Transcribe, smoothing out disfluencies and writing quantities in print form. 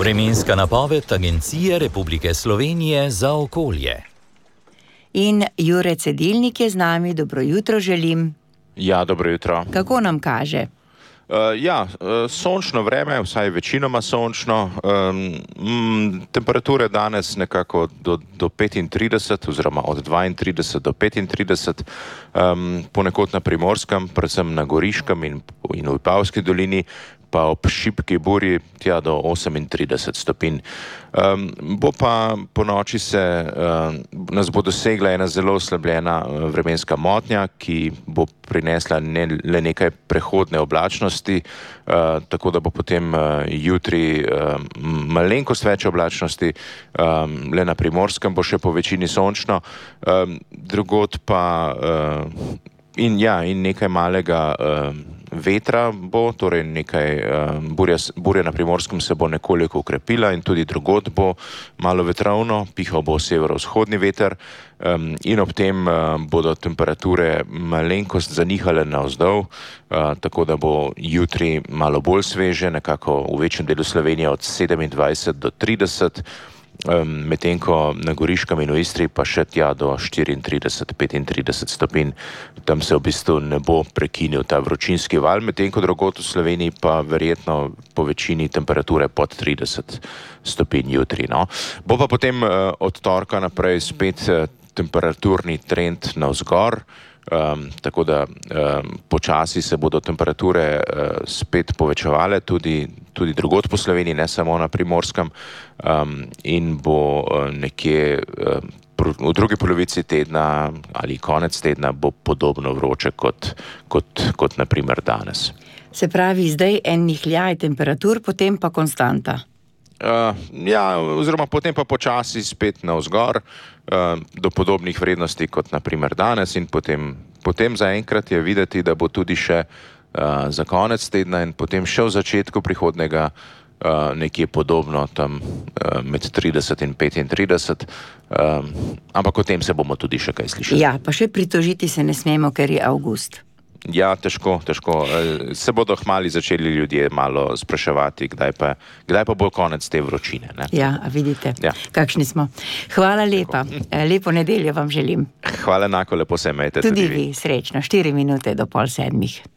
Vremenska napoved Agencije Republike Slovenije za okolje. In Jure Cedilnik je z nami, dobro jutro želim. Ja, dobro jutro. Kako nam kaže? Sončno vreme, vsaj večinoma sončno. Temperature danes nekako do 35 oziroma od 32 do 35, ponekod na Primorskem, predvsem na Goriškem in v Vipavski dolini, pa ob šibki burji tja do 38 stopinj. Bo pa po noči nas bo dosegla ena zelo oslabljena vremenska motnja, ki bo prinesla le nekaj prehodne oblačnosti, tako da bo potem jutri malenkost več oblačnosti, le na Primorskem bo še po večini sončno, drugod pa in nekaj malega vetra bo, torej nekaj burja na Primorskem se bo nekoliko ukrepila in tudi drugod bo malo vetrovno, pihal bo severovzhodni veter in ob tem bodo temperature malenkost zanihale navzdol, tako da bo jutri malo bolj sveže, nekako v večjem delu Slovenije od 27 do 30, medtem ko na Goriškem in v Istri pa še tja do 34-35 stopinj. Tam se v bistvu ne bo prekinil ta vročinski val, medtem ko drugod v Sloveniji pa verjetno po večini temperature pod 30 stopinj jutri. No. Bo pa potem od torka naprej spet temperaturni trend navzgor, tako da počasi se bodo temperature spet povečevale tudi drugod po Sloveniji, ne samo na Primorskem, in bo nekje v drugi polovici tedna ali konec tedna bo podobno vroče kot na primer danes. Se pravi, zdaj en nihljaj temperatur, potem pa konstanta. Oziroma potem pa počasi spet navzgor do podobnih vrednosti kot na primer danes in potem zaenkrat je videti, da bo tudi še za konec tedna in potem še v začetku prihodnega nekje podobno tam med 30 in 35, ampak o tem se bomo tudi še kaj slišali. Ja, pa še pritožiti se ne smemo, ker je avgust. Ja, težko. Se bodo hmali začeli ljudje malo spraševati, kdaj pa bo konec te vročine. Ne? Ja, a vidite, kakšni smo. Hvala lepa. Lepo nedeljo vam želim. Hvala enako, lepo se imejte. Tudi vi, srečno. 4 minute do 6:30.